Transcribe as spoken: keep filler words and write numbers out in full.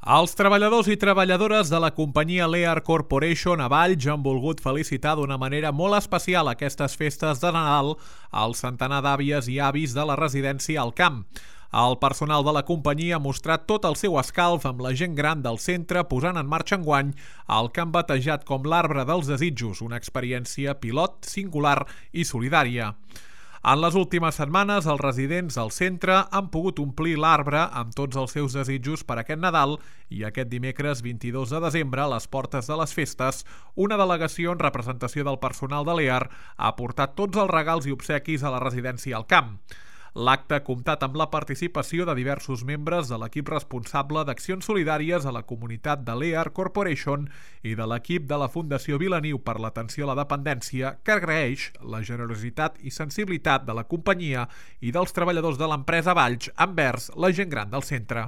Els treballadors i treballadores de la companyia Lear Corporation a Valls han volgut felicitar d'una manera molt especial aquestes festes de Nadal al centenar d'àvies i avis de la residència al Camp. El personal de la companyia ha mostrat tot el seu escalf amb la gent gran del centre, posant en marxa enguany el que han batejat com l'Arbre dels Desitjos, una experiència pilot, singular i solidària. En les últimes setmanes, els residents del centre han pogut omplir l'arbre amb tots els seus desitjos per aquest Nadal i aquest dimecres vint-i-dos de desembre, a les portes de les festes, una delegació en representació del personal de Lear ha portat tots els regals i obsequis a la residència al Camp. L'acte ha comptat amb la participació de diversos membres de l'equip responsable d'accions solidàries a la comunitat de Lear Corporation i de l'equip de la Fundació Vilaniu per l'atenció a la dependència, que agraeix la generositat i sensibilitat de la companyia i dels treballadors de l'empresa Valls envers la gent gran del centre.